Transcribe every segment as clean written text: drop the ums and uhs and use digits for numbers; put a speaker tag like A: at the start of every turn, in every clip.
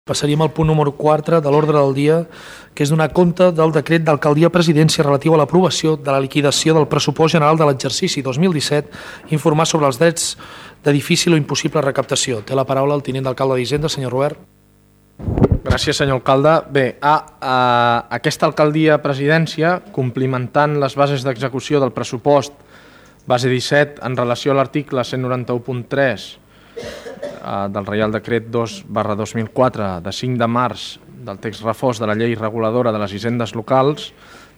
A: Passaríem al punt número 4 de l'ordre del dia, que és donar compte del decret d'alcaldia-presidència relatiu a l'aprovació de la liquidació del pressupost general de l'exercici 2017, informar sobre els drets de difícil o impossible recaptació. Té la paraula el tinent d'alcalde d'Hisenda, senyor Robert.
B: Gràcies, senyor alcalde. Bé, aquesta alcaldia-presidència, complimentant les bases d'execució del pressupost base 17 en relació a l'article 191.3 del Reial Decret 2/2004 de 5 de març del text refós de la llei reguladora de les hisendes locals,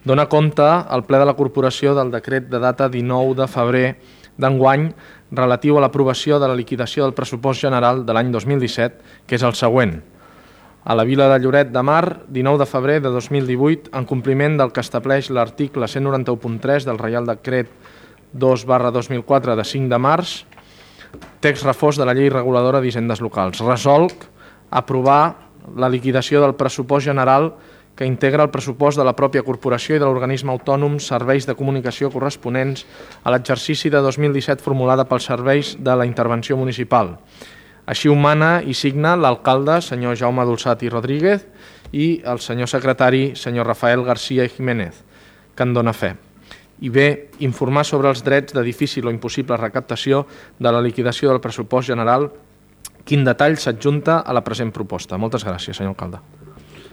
B: dona compte al ple de la corporació del decret de data 19 de febrer d'enguany relatiu a l'aprovació de la liquidació del pressupost general de l'any 2017, que és el següent. A la vila de Lloret de Mar, 19 de febrer de 2018, en compliment del que estableix l'article 191.3 del Reial Decret 2/2004 de 5 de març, text refós de la llei reguladora d'hisendes locals. Resolc aprovar la liquidació del pressupost general que integra el pressupost de la pròpia corporació i de l'organisme autònom serveis de comunicació corresponents a l'exercici de 2017 formulada pels serveis de la intervenció municipal. Així ho mana i signa l'alcalde, senyor Jaume Dolçat i Rodríguez, i el senyor secretari, senyor Rafael García i Jiménez, que en dona fe. I bé, informar sobre els drets de difícil o impossible recaptació de la liquidació del pressupost general, quin detall s'adjunta a la present proposta. Moltes gràcies, senyor alcalde.